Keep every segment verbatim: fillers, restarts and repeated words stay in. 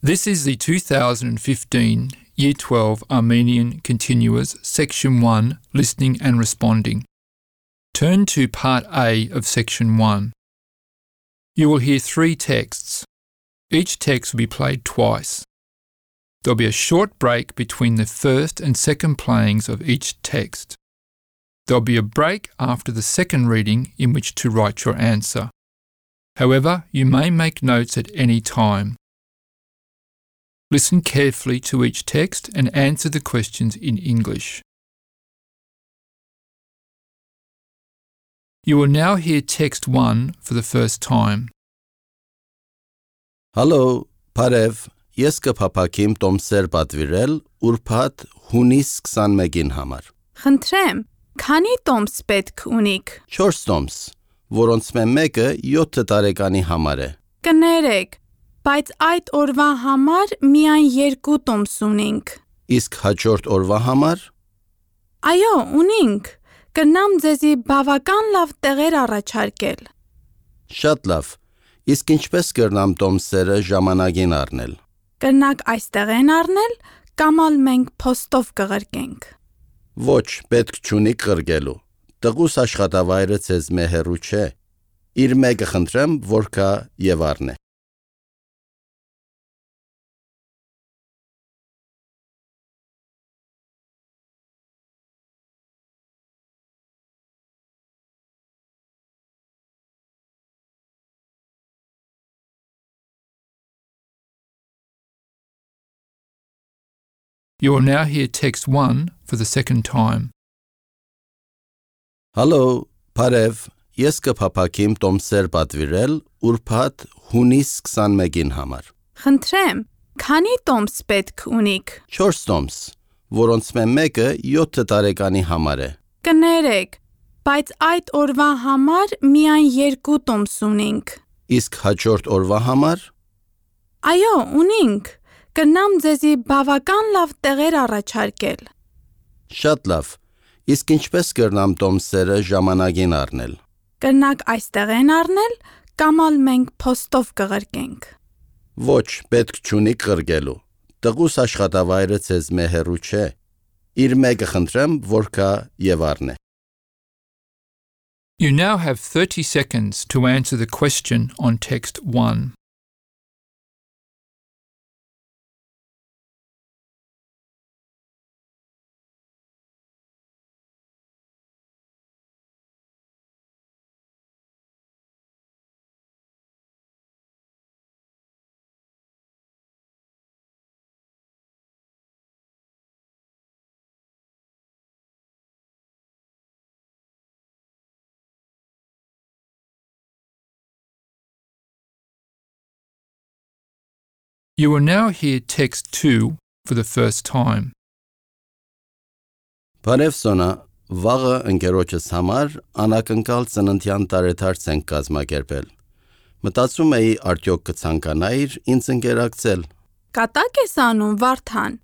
This is the two thousand fifteen Year twelve Armenian Continuous Section one Listening and Responding. Turn to Part A of Section one. You will hear three texts. Each text will be played twice. There will be a short break between the first and second playings of each text. There will be a break after the second reading in which to write your answer. However, you may make notes at any time. Listen carefully to each text and answer the questions in English. You will now hear text one for the first time. Hello, Parev, ես կփափակիմ տոմսեր պատվիրել ուրբաթ հունիս քսանմեկին համար։ Խնդրեմ, քանի տոմս պետք ունիք։ չորս տոմս, որոնց մեկը յոթ տարեկանի համար է։ Կներեք, բայց այդ օրվա համար միայն երկու տոմս ունենք։ Իսկ հաջորդ օրվա համար։ Այո, ունենք։ Կնամ ձեզի բավական լավ տեղեր առաջարկել։ Շատ լավ։ Իսկ ինչպես կրնամ տոմսերը ժամանակին առնել։ Կրնակ այստեղ են առնել, կամ ալ մենք փոստով կղրկենք։ Ոչ, պետք չունի կղրկելու։ Տղուս աշխատավայրը ցեզ մեհերու չէ։ Իր մեկը խնդրեմ, որ կա եւ առնե։ You will now hear text one for the second time. Hello, Parev, ես կփափակիմ տոմսեր պատվիրել ուրբաթ հունիս քսանմեկին համար։ Խնդրեմ, քանի տոմս պետք ունիք։ չորս տոմս, որոնց մեկը յոթ տարեկանի համար է։ Կներեք, բայց այդ օրվա համար միայն երկու տոմս ունենք։ Իսկ հաջորդ օրվա համար։ Այո, ունենք։ Կնամ ձեզի բավական լավ տեղեր առաջարկել։ Շատ լավ։ Իսկ ինչպես կրնամ տոմսերը ժամանակին առնել։ Կրնակ այստեղ են առնել, կամ ալ մենք փոստով կղրկենք։ Ոչ, պետք չունի կղրկելու։ Տղուս աշխատավայրը ցեզ մեհերու չէ։ Իր մեկը խնդրեմ, որ կա եւ առնե։ You now have thirty seconds to answer the question on text one. You will now hear text two for the first time. Բարև Սոնա, վաղը ընկերոջս համար անակնկալ ծննդյան տարեդարձ ենք կազմակերպել։ Մտածում էի արդյոք կցանկանայիր ինձ ընկերակցել։ Կատակ ես անում, Վարդան։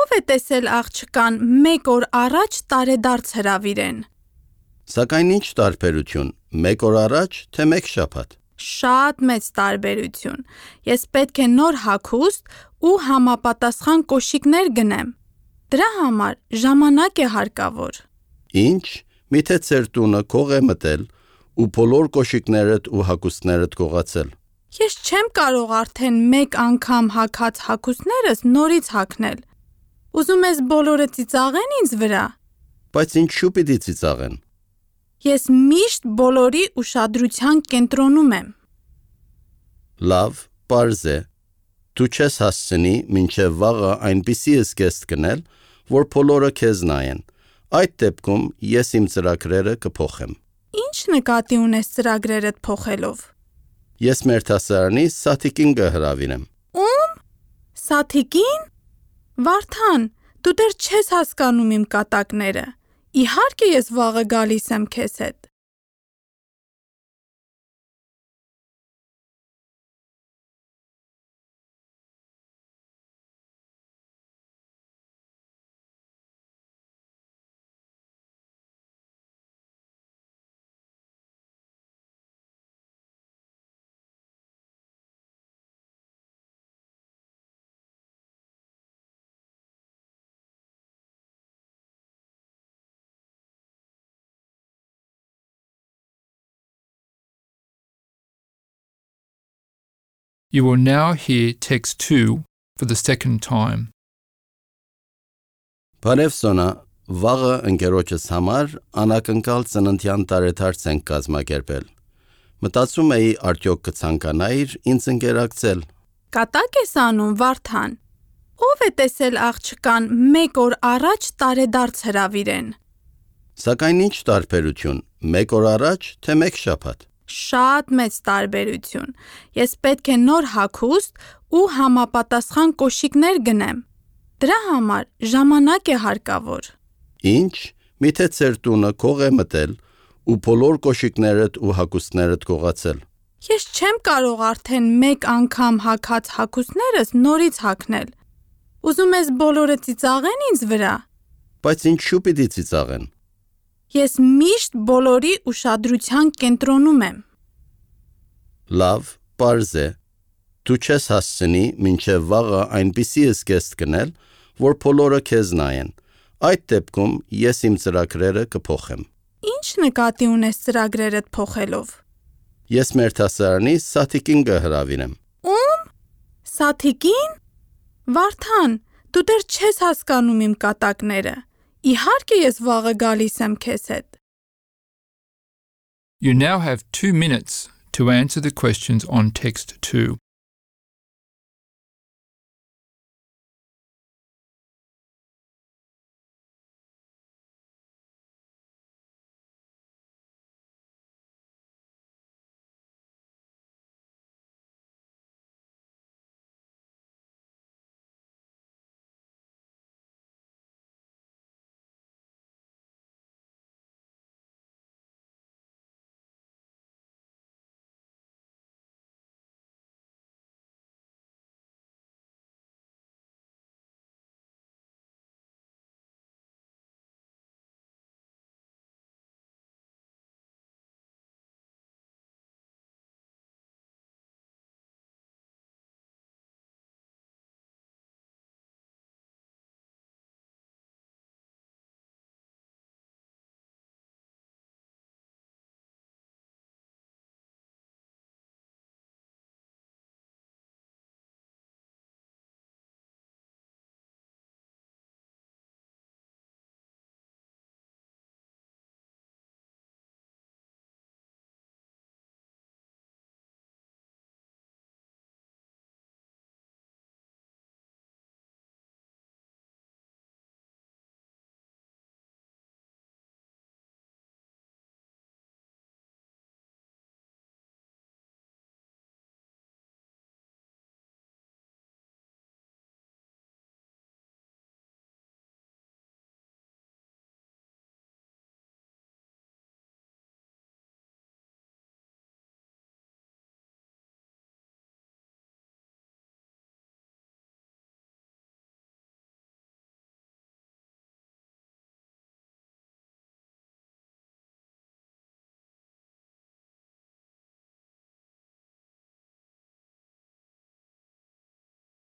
Ով է տեսել աղջկան մեկ օր առաջ տարեդարձ հրավիրեն։ Սակայն ինչ տարբերություն, մեկ օր առաջ, թե մեկ շաբաթ։ Շատ մեծ տարբերություն։ Ես պետք է նոր հագուստ ու համապատասխան կոշիկներ գնեմ։ Դրա համար ժամանակ է հարկավոր։ Ինչ, միթե ծեր տունը քող է մտել ու բոլոր կոշիկներդ ու հագուստներդ կողացել։ Ես չեմ կարող արդեն մեկ անգամ հագած հագուստներս նորից հագնել։ Ուզում ես բոլորը ծիծաղեն ինձ վրա։ Բայց ինչու պիտի ծիծաղեն։ Ես միշտ բոլորի ուշադրության կենտրոնում եմ։ Լավ, պարզ է։ Դու չես հասցնի մինչև վաղը այնպիսի զգեստ գնել, որ բոլորը քեզ նայեն։ Այդ դեպքում ես իմ ծրագրերը կփոխեմ։ Ինչ նկատի ունես ծրագրերդ փոխելով։ Ես մեր դասարանի Սաթիկին կհրավիրեմ։ Ում? Սաթիկին։ Վարդան, դու դեռ չես հասկանում իմ կատակները։ Իհարկե ես վաղը գալիս եմ քեզ հետ։ You will now hear text two for the second time. Բարև Սոնա, վաղը ընկերոջս համար անակնկալ ծննդյան տարեդարձ ենք կազմակերպել։ Մտածում էի արդյոք կցանկանայիր ինձ ընկերակցել։ Կատակ ես անում, Վարդան։ Ով է տեսել աղջկան մեկ օր առաջ տարեդարձ հրավիրեն։ Սակայն ինչ տարբերություն, մեկ օր առաջ, թե մեկ շաբաթ։ Շատ մեծ տարբերություն։ Ես պետք է նոր հագուստ ու համապատասխան կոշիկներ գնեմ։ Դրա համար ժամանակ է հարկավոր։ Ինչ, միթե ծեր տունը քող է մտել ու բոլոր կոշիկներդ ու հագուստներդ կողացել։ Ես չեմ կարող արդեն մեկ անգամ հագած հագուստներս նորից հագնել։ Ուզում ես բոլորը ծիծաղեն ինձ վրա։ Բայց ինչու պիտի ծիծաղեն։ Ես միշտ բոլորի ուշադրության կենտրոնում եմ։ Լավ, պարզ է։ Դու չես հասցնի մինչև վաղը այնպիսի զգեստ գնել, որ բոլորը քեզ նայեն։ Այդ դեպքում ես իմ ծրագրերը կփոխեմ։ Ինչ նկատի ունես ծրագրերդ փոխելով։ Ես մեր դասարանի Սաթիկին կհրավիրեմ։ Ում? Սաթիկին? Վարդան, դու դեռ չես հասկանում իմ կատակները։ Իհարկե ես վաղը գալիս եմ քեզ հետ։ You now have two minutes to answer the questions on text two.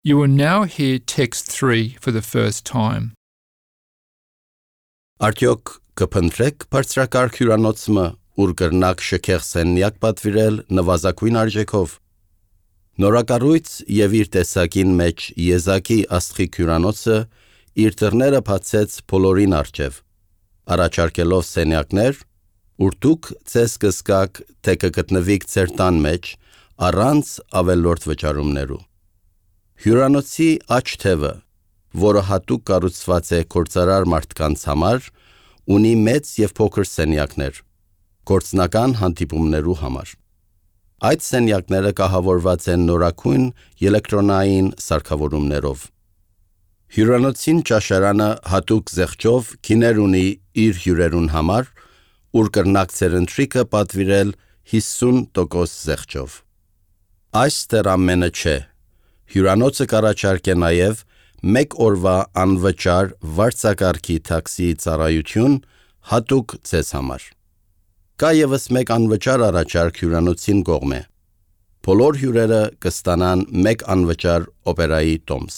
You will now hear text three for the first time. Արդյոք կփնտրեք բարձրակարգ հյուրանոցը, ուր կրնակ շքեղ սենյակ պատվիրել նվազագույն արժեքով։ Նորակառույց եւ իր տեսակին մեջ եզակի աստղիկ հյուրանոցը իր դռները բացեց բոլորին առջև, առաջարկելով սենյակներ, ուր դուք ցես կզգաք, թե կգտնվիք ձեր տան մեջ առանց ավելորդ վճարումներու։ Հյուրանոցի աջ թևը, որը հատուկ կառուցված է գործարար մարդկանց համար, ունի մեծ եւ փոքր սենյակներ, գործնական հանդիպումներու համար։ Այդ սենյակները կահավորված են նորակույն էլեկտրոնային սարքավորումներով։ Հյուրանոցին ճաշարանը հատուկ զեղչով գիներ ունի իր հյուրերուն համար, ուր կրնակ ձեր ընթրիքը պատվիրել հիսուն տոկոս զեղչով։ Այս դեռ ամենը չէ։ Հյուրանոցը կառաջարկե նաև մեկ օրվա անվճար վարձակարգի տաքսի ծառայություն հատուկ ձեզ համար։ Կա ևս մեկ անվճար առաջարկ հյուրանոցին կողմէ։ Բոլոր հյուրերը կստանան մեկ անվճար օպերայի տոմս։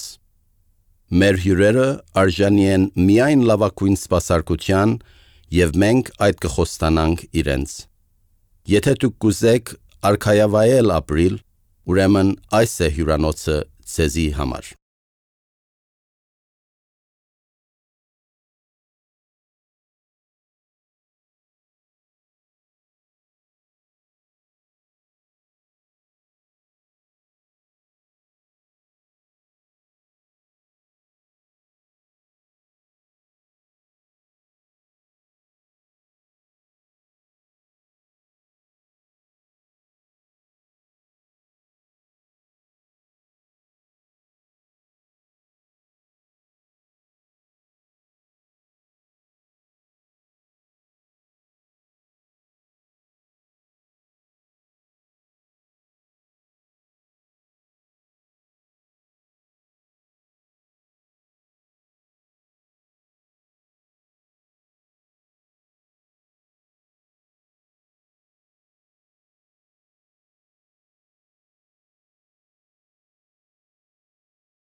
Մեր հյուրերը արժանի են միայն լավագույն սպասարկության եւ մենք այդ կխոստանանք իրենց։ Եթե դուք կուզեք արքայավայել ապրիլ ուրեմն այս է հյուրանոցը ձեզի համար։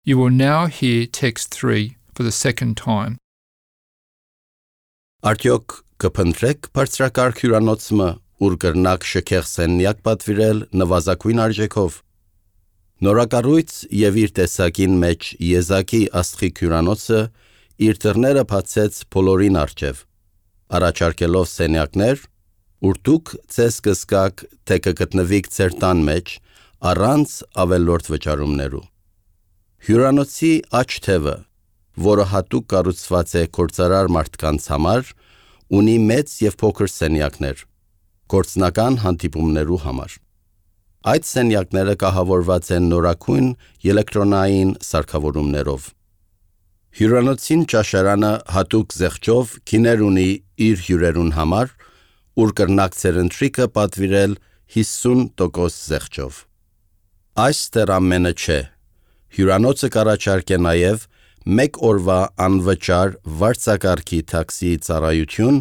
You will now hear text three for the second time. Արդյոք կփնտրեք բարձրակարգ հյուրանոցը, ուր կրնակ շքեղ սենյակ պատվիրել նվազագույն արժեքով։ Նորակառույց եւ իր տեսակին մեջ եզակի աստղիկ հյուրանոցը իր դռները բացեց բոլորին առջև, առաջարկելով սենյակներ, ուր դուք ձեզ կզգաք, թե կգտնվիք ձեր տան մեջ առանց ավելորդ վճարումներու։ Հյուրանոցի աջ թևը, որը հատուկ կառուցված է գործարար մարդկանց համար, ունի մեծ եւ փոքր սենյակներ, գործնական հանդիպումներու համար։ Այդ սենյակները կահավորված են նորագույն էլեկտրոնային սարքավորումներով։ Հյուրանոցին ճաշարանը հատուկ զեղչով քիներ ունի իր հյուրերուն համար, ուր կրնակ ցերընտրիկը պատվիրել հիսուն տոկոս զեղչով։ Այս դեռ ամենը չէ։ Հյուրանոցը կառաջարկե նաև մեկ օրվա անվճար վարձակարգի տաքսի ծառայություն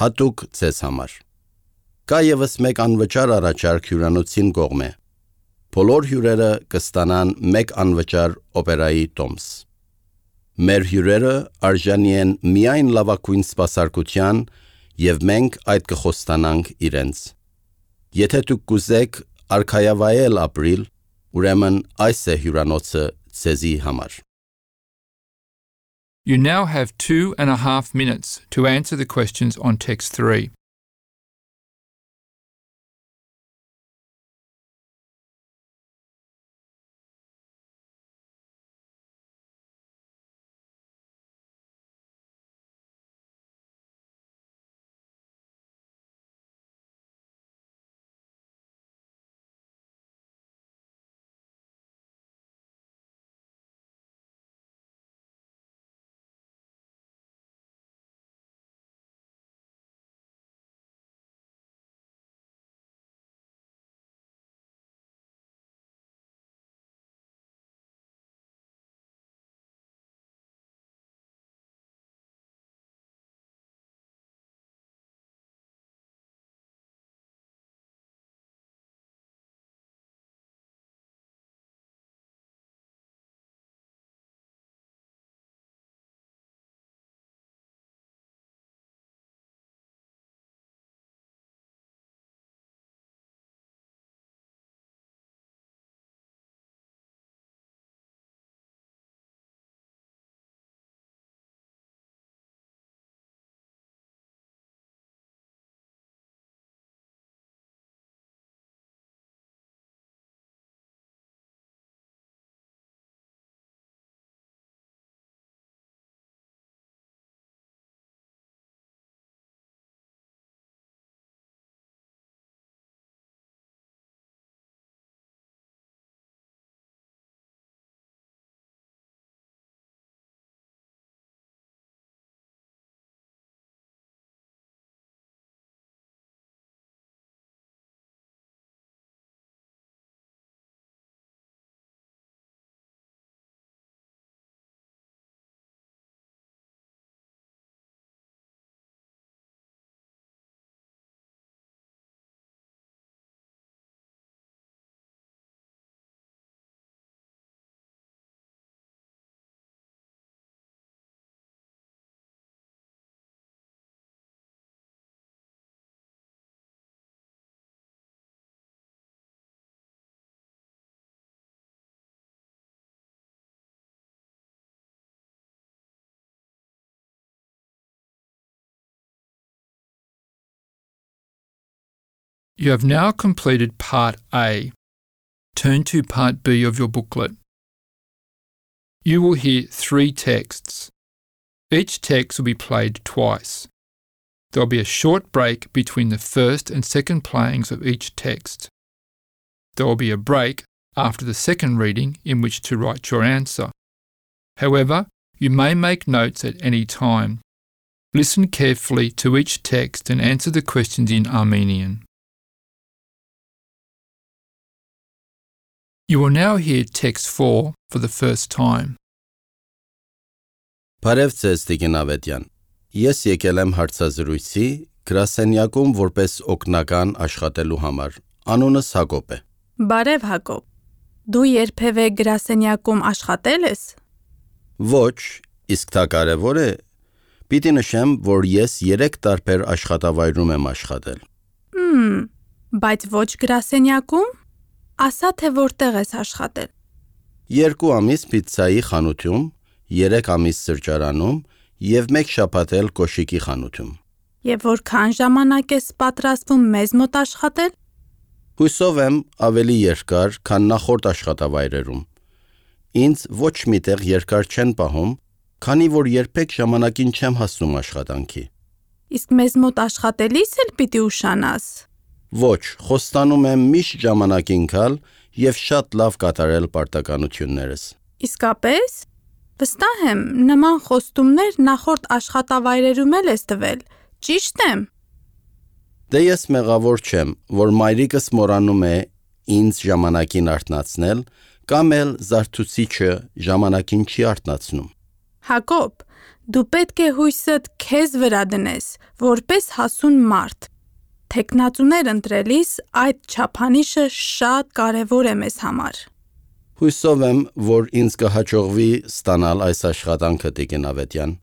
հատուկ ձեզ համար։ Կա ևս մեկ անվճար առաջարկ հյուրանոցին կողմէ։ Բոլոր հյուրերը կստանան մեկ անվճար օպերայի տոմս։ Մեր հյուրերը արժանի են միայն լավագույն սպասարկության եւ մենք այդ կխոստանանք իրենց։ Եթե դուք կուզեք արքայավայել ապրիլ, ուրեմն այս է հյուրանոցը ձեզի համար։ You now have two and a half minutes to answer the questions on text three. You have now completed Part A. Turn to Part B of your booklet. You will hear three texts. Each text will be played twice. There will be a short break between the first and second playings of each text. There will be a break after the second reading in which to write your answer. However, you may make notes at any time. Listen carefully to each text and answer the questions in Armenian. You will now hear text four for the first time. Բարև ձեզ, Տիգին Ավետյան։ Ես եկել եմ հարցազրույցի գրասենյակում որպես օգնական աշխատելու համար։ Անունս Հակոբ է։ Բարև Հակոբ։ Դու երբևէ գրասենյակում աշխատել ես։ Ոչ, իսկ դա կարևոր է։ Պիտի նշեմ, որ ես երեք տարբեր աշխատավայրում եմ աշխատել։ Հմ, բայց ոչ գրասենյակում։ Ասա թե որտեղ ես աշխատել։ Երկու ամիս պիցցայի խանութում, երեք ամիս սրճարանում և մեկ շաբաթ էլ կոշիկի խանութում։ Եվ որքան ժամանակ ես պատրաստվում մեզ մոտ աշխատել։ Հույսով եմ ավելի երկար, քան նախորդ աշխատավայրերում։ Ինձ ոչ միտեղ երկար չեն պահում, քանի որ երբեք ժամանակին չեմ հասնում աշխատանքի։ Իսկ մեզ մոտ աշխատելիս էլ պիտի ուշանաս։ Ոչ, խոստանում եմ միշտ ժամանակին գալ և շատ լավ կատարել պարտականություններս։ Իսկապես։ Վստահ եմ, նման խոստումներ նախորդ աշխատավայրերում էլ ես տվել, ճիշտ եմ։ Դե ես մեղավոր չեմ, որ մայրիկս մոռանում է ինձ ժամանակին արթնացնել, կամ էլ զարթուցիչը ժամանակին չի արթնացնում։ Հակոբ, դու պետք է հույսդ քեզ վրա դնես, որպես հասուն մարդ։ Թեկնածուներ ընտրելիս այդ չափանիշը շատ կարևոր է մեզ համար։ Հույսով եմ, որ ինձ կհաջողվի ստանալ այս աշխատանքը, Տիգին Ավետյան։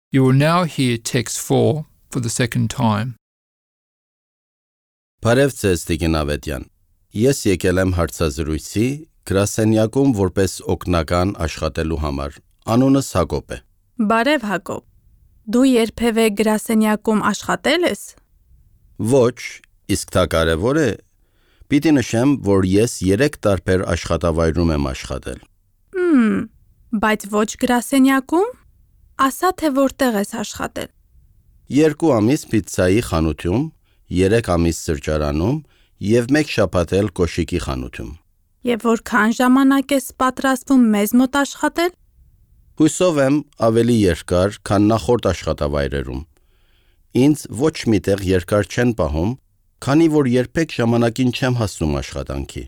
You will now hear text four for the second time. Բարև ձեզ, Տիգին Ավետյան։ Ես եկել եմ հարցազրույցի գրասենյակում որպես օգնական աշխատելու համար։ Անունս Հակոբ է։ Բարև Հակոբ։ Դու երբևէ գրասենյակում աշխատել ես։ Ոչ, իսկ դա կարևոր է։ Պիտի նշեմ, որ ես երեք տարբեր աշխատավայրում եմ աշխատել։ Հմ, բայց ոչ գրասենյակում։ Ասա թե որտեղ ես աշխատել։ Երկու ամիս պիցցայի խանութում, երեք ամիս սրճարանում և մեկ շաբաթ էլ կոշիկի խանութում։ Եվ որքան ժամանակ ես պատրաստվում մեզ մոտ աշխատել։ Հույսով եմ ավելի երկար, քան նախորդ աշխատավայրերում։ Ինձ ոչ միտեղ երկար չեն պահում, քանի որ երբեք ժամանակին չեմ հասնում աշխատանքի։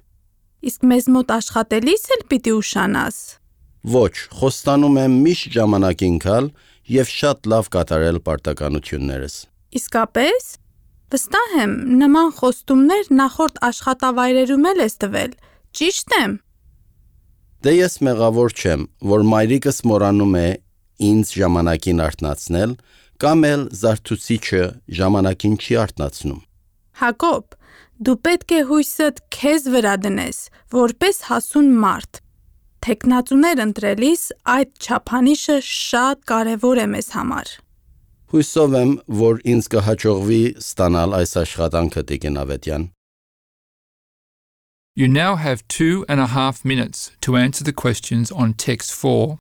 Իսկ մեզ մոտ աշխատելիս էլ պիտի ուշանաս։ Ոչ, խոստանում եմ միշտ ժամանակին գալ և շատ լավ կատարել պարտականություններս։ Իսկապես։ Վստահ եմ, նման խոստումներ նախորդ աշխատավայրերում էլ ես տվել, ճիշտ եմ։ Դե ես մեղավոր չեմ, որ մայրիկս մոռանում է ինձ ժամանակին արթնացնել, կամ էլ զարթուցիչը ժամանակին չի արթնացնում։ Հակոբ, դու պետք է հույսդ քեզ վրա դնես, որպես հասուն մարդ։ Թեկնածուներ ընտրելիս այդ չափանիշը շատ կարևոր է մեզ համար։ Հույսով եմ, որ ինձ կհաջողվի ստանալ այս աշխատանքը, Տիգին Ավետյան։ You now have two and a half minutes to answer the questions on text four.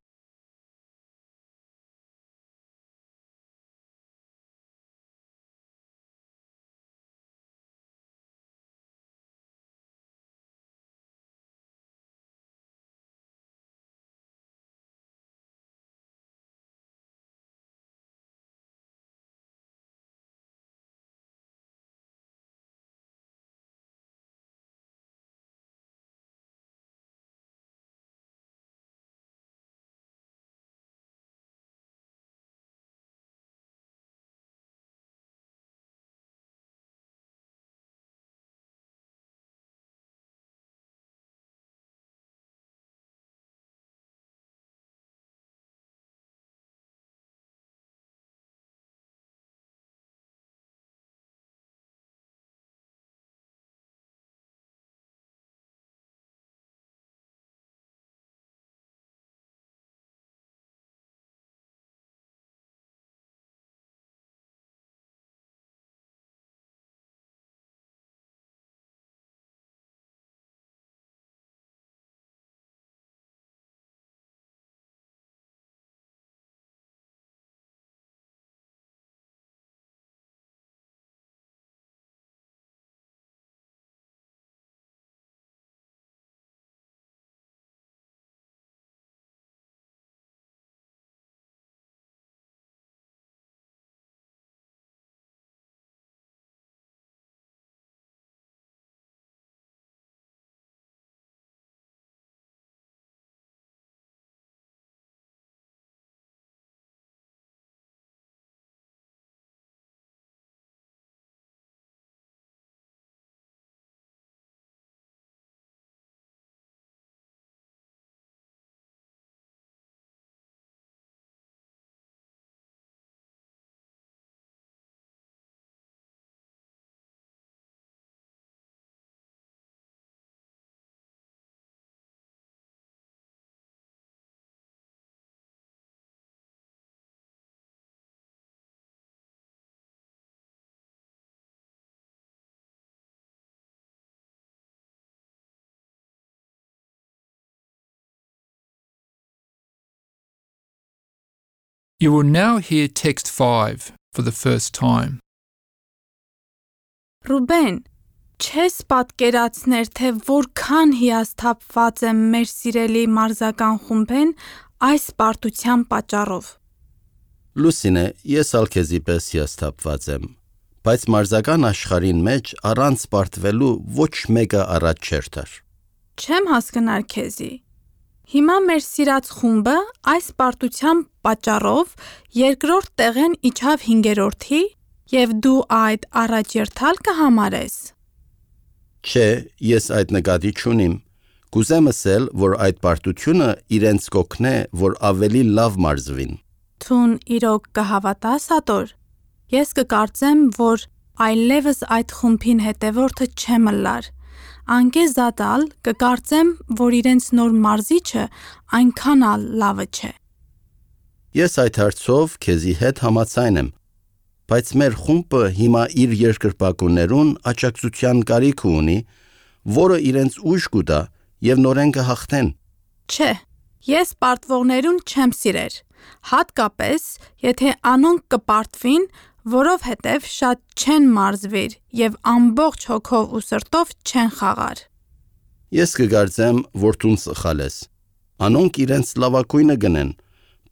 You will now hear text five for the first time. Ռուբեն, չես պատկերացներ, թե որքան հիասթափված եմ մեր սիրելի մարզական խումբեն այս պարտության պատճառով։ Լուսինե, ես ալ քեզի պես հիասթափված եմ, բայց մարզական աշխարհին մեջ առանց պարտվելու ոչ մեկը առաջ չէր տար։ Չեմ հասկնար քեզի։ Հիմա մեր սիրած խումբը այս պարտության պատճառով երկրորդ տեղեն իջավ հինգերորդի և դու այդ առաջերտալ կհամարես։ Չէ, ես այդ նկատի չունիմ։ Կուզեմ ասել, որ այդ պարտությունը իրենց կօգնե, որ ավելի լավ մարզվին։ Թուն իրոք կհավատաս, Ատոր։ Ես կկարծեմ, որ այլևս այդ խումբին հետևորդը չեմ ըլլար։ Անկեզատալ կկարծեմ, որ իրենց նոր մարզիչը այնքան ալ լավը չէ։ Ես այդ հարցով քեզի հետ համաձայն եմ, բայց մեր խումբը հիմա իր երկրպագուներուն աջակցության կարիք ունի, որը իրենց ուժ կուտա և նորեն կհաղթեն։ Չէ, ես պարտվողներուն չեմ սիրեր, հատկապես, եթե անոնք կպարտվին, որովհետև շատ չեն մարզվիր և ամբողջ հոգով ու սրտով չեն խաղար։ Ես կգարձեմ, որ տուն սխալ ես։ Անոնք իրենց լավակույնը գնեն,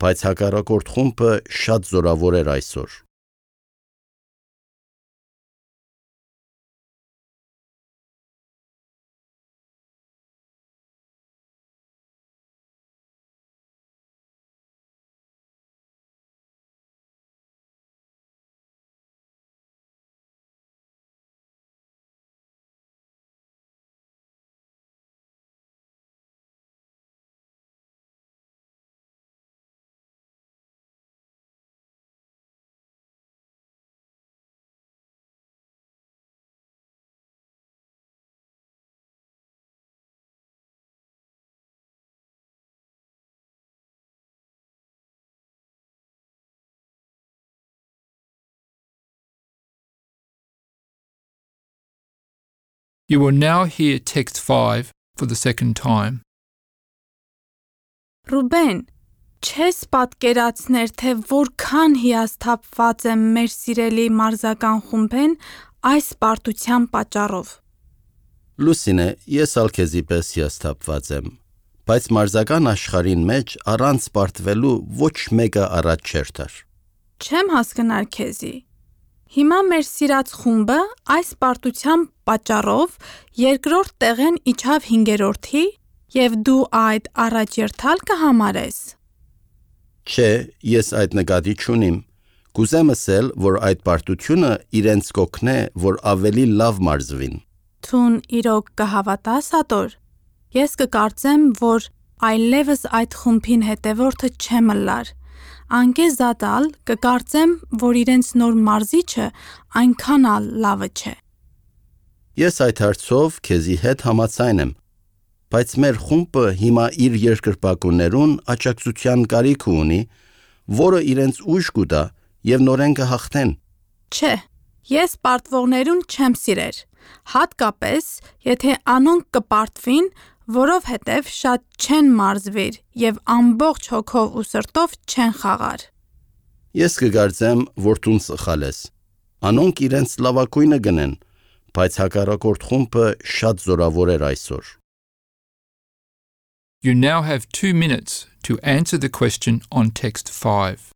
բայց հակառակորդ խումբը շատ զորավոր էր այսօր։ You will now hear text five for the second time. Ռուբեն, չես պատկերացներ, թե որքան հիասթափված եմ մեր սիրելի մարզական խումբեն այս պարտության պատճառով։ Լուսինե, ես ալ քեզի պես հիասթափված եմ, բայց մարզական աշխարհին մեջ առանց պարտվելու ոչ մեկը առաջ չէր տար։ Չեմ հասկնար քեզի։ Հիմա մեր սիրած խումբը այս պարտության պատճառով երկրորդ տեղեն իջավ հինգերորդի և դու այդ առաջերտալ կհամարես։ Չէ, ես այդ նկատի չունիմ։ Կուզեմ ասել, որ այդ պարտությունը իրենց կօգնե, որ ավելի լավ մարզվին։ Թուն իրոք կհավատաս, Ատոր։ Ես կկարծեմ, որ այլևս այդ խումբին հետևորդը չեմ ըլլար։ Անկեզատալ կկարծեմ, որ իրենց նոր մարզիչը այնքան ալ լավը չէ։ Ես այդ հարցով քեզի հետ համաձայն եմ, բայց մեր խումբը հիմա իր երկրպագուներուն աջակցության կարիք ունի, որը իրենց ուժ կուտա և նորեն կհաղթեն։ Չէ, ես պարտվողներուն չեմ սիրեր, հատկապես, եթե անոնք կպարտվին, որովհետև շատ չեն մարզվիր և ամբողջ հոգով ու սրտով չեն խաղար։ Ես կգարձեմ, որ տուն սխալ ես։ Անոնք իրենց լավակույնը գնեն, բայց հակառակորդ խումբը շատ զորավոր էր այսօր։ You now have two minutes to answer the question on text five.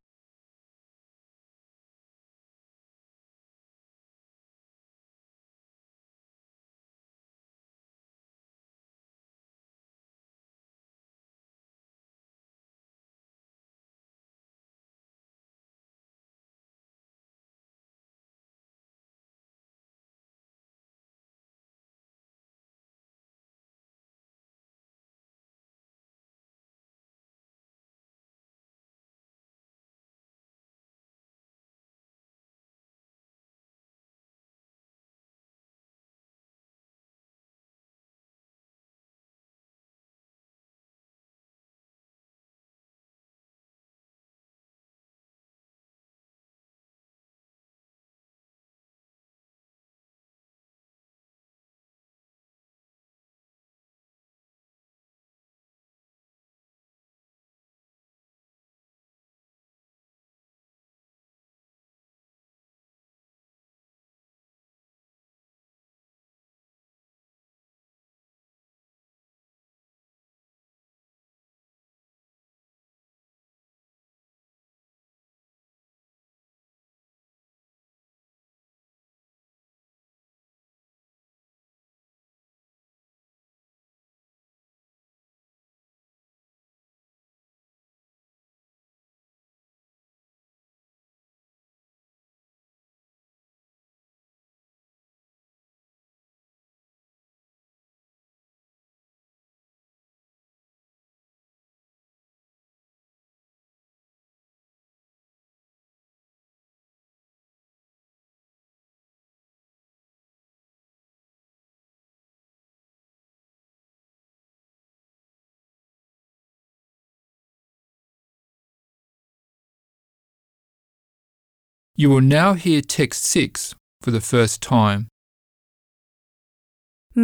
You will now hear text six for the first time.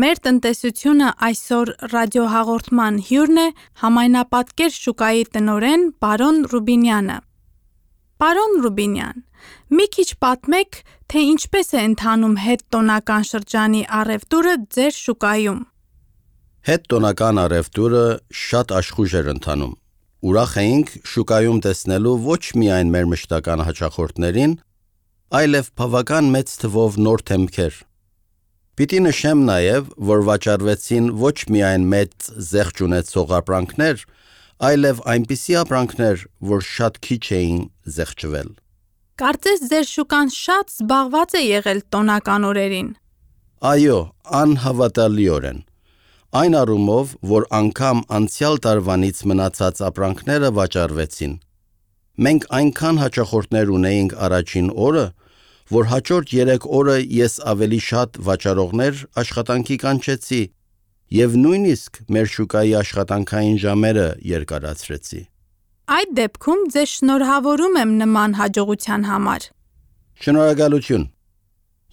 Մեր տնտեսությունը այսօր ռադիոհաղորդման հյուրն է համայնապատկեր շուկայի տնօրեն պարոն Ռուբինյանը։ Պարոն Ռուբինյան, մի քիչ պատմեք, թե ինչպես է ընթանում հետտոնական շրջանի առևտուրը ձեր շուկայում։ Հետտոնական առևտուրը շատ աշխույժ էր ընթանում։ Ուրախ էինք շուկայում տեսնելու ոչ միայն մեր մշտական հաճախորդներին, այլև բավական մեծ թվով նոր թեմքեր։ Պիտի նշեմ նաև, որ վաճառվեցին ոչ միայն մեծ զեղչ ունեցող ապրանքներ, այլև այնպիսի ապրանքներ, որ շատ քիչ էին զեղչվել։ Կարծես ձեր շուկան շատ զբաղված է եղել տոնական օրերին։ Այո, անհավատալիորեն։ Այն առումով, որ անգամ անցյալ տարվանից մնացած ապրանքները վաճառվեցին։ Մենք այնքան հաճախորդներ ունեինք առաջին օրը, որ հաջորդ երեք օրը ես ավելի շատ վաճառողներ աշխատանքի կանչեցի և նույնիսկ մեր շուկայի աշխատանքային ժամերը երկարացրեցի։ Այդ դեպքում ձեզ շնորհավորում եմ նման հաջողության համար։ Շնորհակալություն։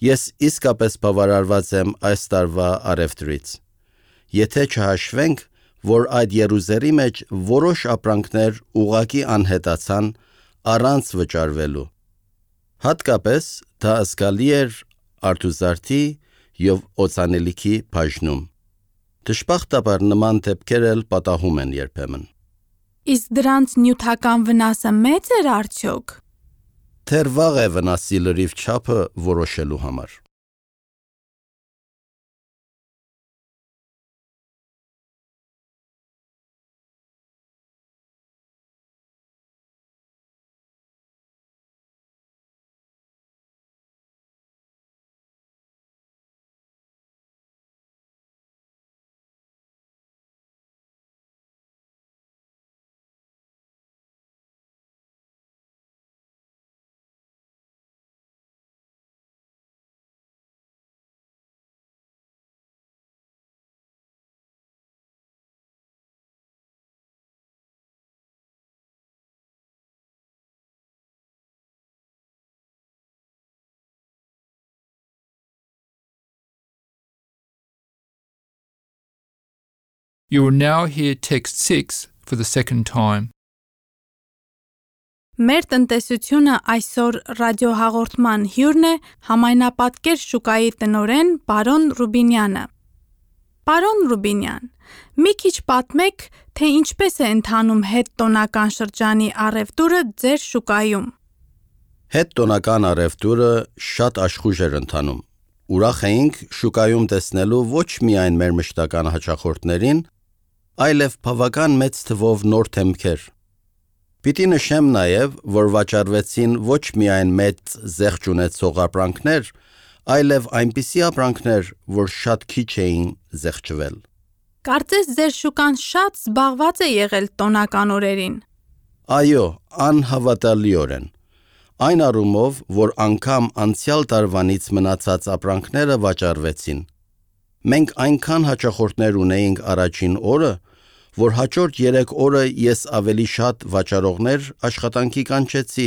Ես իսկապես բավարարված եմ այս տարվա առևտրից։ Եթե չհաշվենք, որ այդ եռուզերի մեջ որոշ ապրանքներ ուղղակի անհետացան առանց վճարվելու։ Հատկապես դա զգալի էր արտուզարդի և օծանելիքի բաժնում։ Դժբախտաբար նման դեպքեր էլ պատահում են երբեմն։ Իսկ դրանց նյութական վնասը մեծ էր արդյոք։ Դեռ վաղ է վնասի լրիվ չափը որոշելու համար։ You will now hear text six for the second time. Մեր տնտեսությունը այսօր ռադիոհաղորդման հյուրն է համայնապատկեր շուկայի տնօրեն պարոն Ռուբինյանը։ Պարոն Ռուբինյան, մի քիչ պատմեք, թե ինչպես է ընթանում հետտոնական շրջանի առևտուրը ձեր շուկայում։ Հետտոնական առևտուրը շատ աշխույժ էր ընթանում։ Ուրախ էինք շուկայում տեսնելու ոչ միայն մեր մշտական հաճախորդներին, այլև բավական մեծ թվով նոր թեմքեր։ Պիտի նշեմ նաև, որ վաճառվեցին ոչ միայն մեծ զեղչ ունեցող ապրանքներ, այլև այնպիսի ապրանքներ, որ շատ քիչ էին զեղչվել։ Կարծես ձեր շուկան շատ զբաղված է եղել տոնական օրերին։ Այո, անհավատալիորեն։ Այն առումով, որ անգամ անցյալ տարվանից մնացած ապրանքները վաճառվեցին։ Մենք այնքան հաճախորդներ ունեինք առաջին օրը, որ հաջորդ երեք օրը ես ավելի շատ վաճառողներ աշխատանքի կանչեցի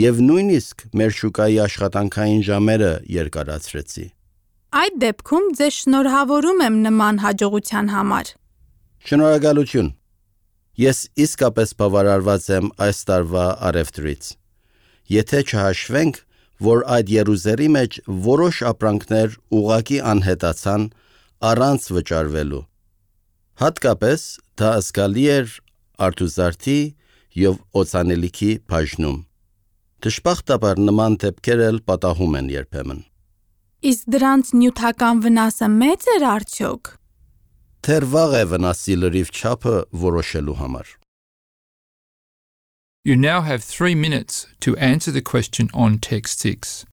և նույնիսկ մեր շուկայի աշխատանքային ժամերը երկարացրեցի։ Այդ դեպքում ձեզ շնորհավորում եմ նման հաջողության համար։ Շնորհակալություն։ Ես իսկապես բավարարված եմ այս տարվա առևտրից։ Եթե չհաշվենք, որ այդ եռուզերի մեջ որոշ ապրանքներ ուղղակի անհետացան առանց վճարվելու։ Հատկապես դա զգալի էր արտուզարդի և օծանելիքի բաժնում։ Դժբախտաբար նման դեպքեր էլ պատահում են երբեմն։ Իսկ դրանց նյութական վնասը մեծ էր արդյոք։ Դեռ վաղ է վնասի լրիվ չափը որոշելու համար։ You now have three minutes to answer the question on text six.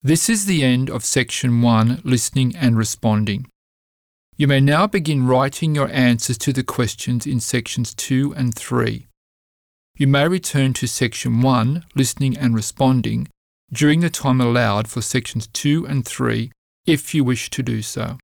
This is the end of section one, listening and responding. You may now begin writing your answers to the questions in sections two and three. You may return to section one, listening and responding, during the time allowed for sections two and three if you wish to do so.